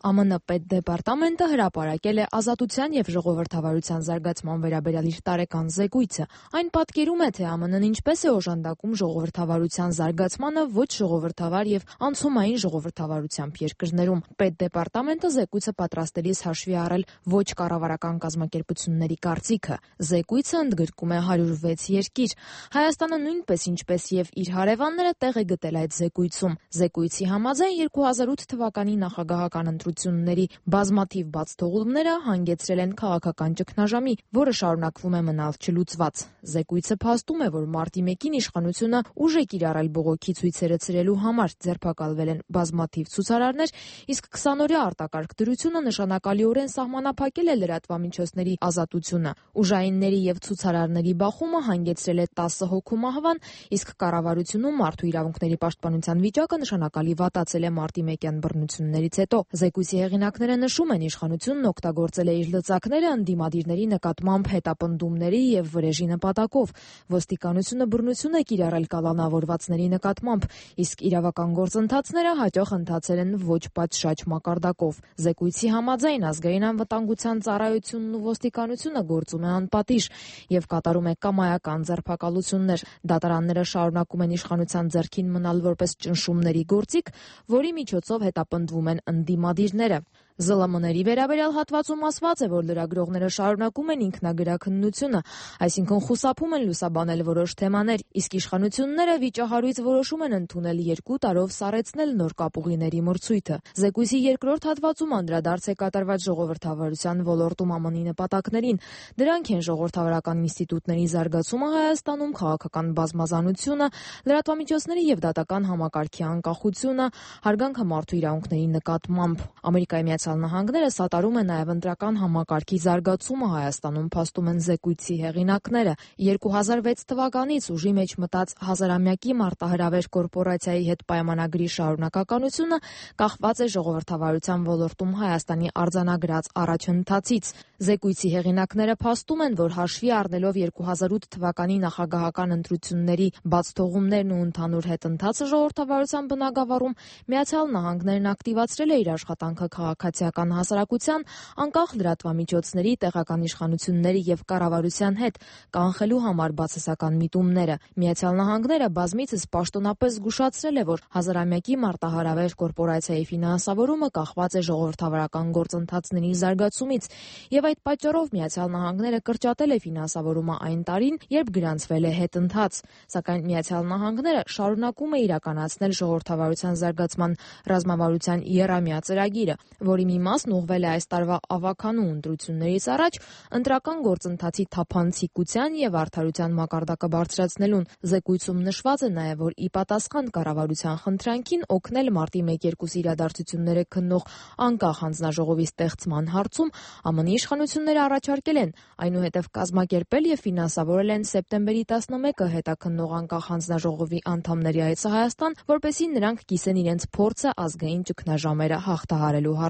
ԱՄՆ պետդեպարտամենտը հրապարակել է ազատության և ժողովրդավարության զարգացման վերաբերյալ իր տարեկան զեկույցը։ Այն պատկերում է, թե ԱՄՆ-ն ինչպես է օժանդակում ժողովրդավարության զարգացմանը ոչ ժողովրդավար և անցումային ժողովրդավարությամբ երկրներում։ Պետդեպարտամենտը զեկույցը պատրաստելիս հաշվի է առել ոչ կառավարական կազմակերպությունների կարծիքը։ Զեկույցը ընդգրկում է 106 երկիր։ Հայաստանը նույնպես, ինչպես և իր հարևանները, տեղ է գտել այդ զեկույցում։ Զեկույցի համաձայն 2008 թվականի նախագահական ընտրությունների բազմաթիվ բացթողումները հանգեցրել են քաղաքական ճգնաժամի, որը շարունակվում է մնալ չլուծված։ Զեկույցը փաստում է, որ մարտի 1-ին իշխանությունը ուժ է կիրառել բողոքի ցույցերը ցրելու համար, ձերբակալվել են բազմաթիվ ցուցարարներ, իսկ 20-օրյա արտակարգ դրությունը նշանակալիորեն սահմանափակել է լրատվամիջոցների ազատությունը։ Ուժայինների և ցուցարարների բախումը հանգեցրել է 10 հոգու մահվան, իսկ կառավարությունում մարդու իրավունքների պաշտպանության վիճակը նշանակալի վատացել է մարտի 1-յան բռնություններից հետո։ Զեկույցի հեղինակները նշում են, իշխանությունն օգտագործել է իր լծակները ընդդիմադիրների նկատմամբ հետապնդումների և վրեժի նպատակով։ Ոստիկանությունը բռնություն է կիրառել կալանավորվածների նկատմամբ, իսկ իրավական գործընթացները հաճախ ընթացել են ոչ պատշաճ մակարդակով։ Զեկույցի համաձայն ազգային անվտանգության ծառայությունն ու ոստիկանությունը գործում է անպատիժ և կատարում է կամայական ձերբակալություններ։ Դատարանները շարունակում են իշխանության ձեռքին մնալ որպես ճնշումների գործիք, որի միջոցով հետապնդվում են ընդդիմադիրները։ ԶԼՄ-ների վերաբերյալ հատվածում ասված է, որ լրագրողները շարունակում են ինքնագրաքննությունը, այսինքն խուսափում են լուսաբանել որոշ թեմաներ, իսկ իշխանությունները վիճահարույց որոշում են ընդունել 2 տարով սառեցնել նոր կապուղիների մրցույթը։ Զեկույցի երկրորդ հատվածում անդրադարձ է կատարված ժողովրդավարության ոլորտում ԱՄՆ-ի նպատակներին։ Դրանք են ժողովրդավարական ինստիտուտների զարգացումը Հայաստանում, քաղաքական բազմազանությունը, լրատվամիջոցների և դատական համակարգի անկախությունը, հարգանքը մարդու իրավունքների նկատմամբ։ ԱՄՆ-ը սատարում է նաև ընտրական համակարգի զարգացումը Հայաստանում, փաստում են զեկույցի հեղինակները։ 2006 թվականից ուժի մեջ մտած հազարամյակի մարտահրավեր կորպորացիայի հետ պայմանագրի շարունակականությունը կախված է ժողովրդավարության ոլորտում Հայաստանի արձանագրած առաջընթացից։ Զեկույցի հեղինակները փաստում են, որ հաշվի առնելով 2008 թվականի նախագահական ընտրությունների բացթողումներն ու ընդհանուր հետընթացը ժողովրդավարության բնագավառում, ԱՄՆ-ն ակտիվացրել է իր աշխատանքը քաղաքացիական հասարակության, անկախ լրատվամիջոցների, տեղական իշխանությունների և կառավարության հետ, կանխելու համար բացասական միտումները։ ԱՄՆ-ն բազմիցս պաշտոնապես զգուշացրել է, որ հազարամյակի մարտահրավեր կորպորացիայի ֆինանսավորումը կախված է ժողովրդավարական գործընթացների զարգացումից, և այդ պատճառով ԱՄՆ-ն կրճատել է ֆինանսավորումը այն տարին, երբ գրանցվել է հետընթաց։ Սակայն ԱՄՆ-ն շարունակում է իրականացնել ժողովրդավարության զարգացման ռազմավարության եռամյա ծրագիրը, որի մի մասն ուղղվել է այս տարվա ավագանու ընտրություններից առաջ ընտրական գործընթացի թափանցիկության և արդարության մակարդակը բարձրացնելուն։ Զեկույցում նշված է նաև, որ ի պատասխան կառավարության խնդրանքին օգնել մարտի 1-2 իրադարձությունները քննող անկախ հանձնաժողովի ստեղծման հարցում ԱՄՆ-ի իշխանությունները առաջարկել են այնուհետև կազմակերպել և ֆինանսավորել են սեպտեմբերի 11-ը հետաքննող անկախ հանձնաժողովի անդամների այցը Հայաստան, որպեսզի նրանք կիսեն իրենց փորձը ազգային ճգնաժամերը հաղթահարելու հարցում։